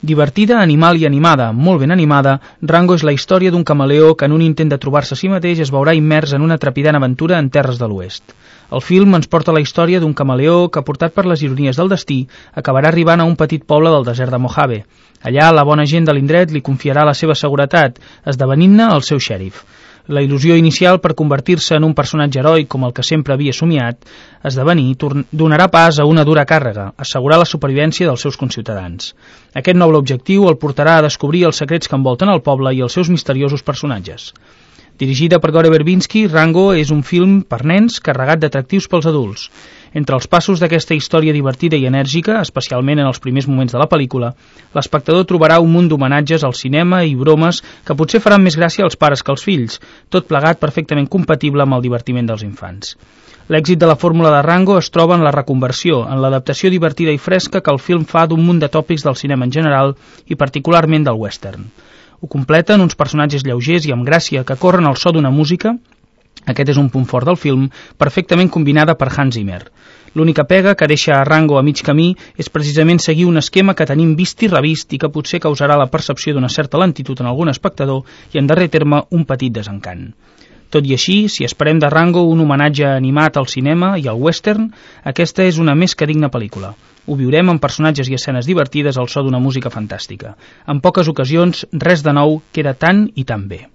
Divertida, animal i animada, molt ben animada, Rango és la història d'un camaleó que en un intent de trobar-se a si mateix es veurà immers en una trepidant aventura en terres de l'oest. El film ens porta la història d'un camaleó que, portat per les ironies del destí, acabarà arribant a un petit poble del desert de Mojave. Allà, la bona gent de l'indret li confiarà la seva seguretat, esdevenint-ne el seu xèrif. La il·lusió inicial per convertir-se en un personatge heroi com el que sempre havia somiat esdevenir donarà pas a una dura càrrega, assegurar la supervivència dels seus conciutadans. Aquest noble objectiu el portarà a descobrir els secrets que envolten el poble i els seus misteriosos personatges. Dirigida per Gore Verbinski, Rango és un film per nens carregat d'atractius pels adults. Entre els passos d'aquesta història divertida i enèrgica, especialment en els primers moments de la pel·lícula, l'espectador trobarà un munt d'homenatges al cinema i bromes que potser faran més gràcia als pares que als fills, tot plegat perfectament compatible amb el divertiment dels infants. L'èxit de la fórmula de Rango es troba en la reconversió, en l'adaptació divertida i fresca que el film fa d'un munt de tòpics del cinema en general i particularment del western. Ho completen uns personatges lleugers i amb gràcia que corren al so d'una música, aquest és un punt fort del film, perfectament combinada per Hans Zimmer. L'única pega que deixa a Rango a mig camí és precisament seguir un esquema que tenim vist i revist i que potser causarà la percepció d'una certa lentitud en algun espectador i, en darrer terme, un petit desencant. Tot i així, si esperem de Rango un homenatge animat al cinema i al western, aquesta és una més que digna pel·lícula. Ho viurem amb personatges i escenes divertides al so d'una música fantàstica. En poques ocasions, res de nou queda tan i tan bé.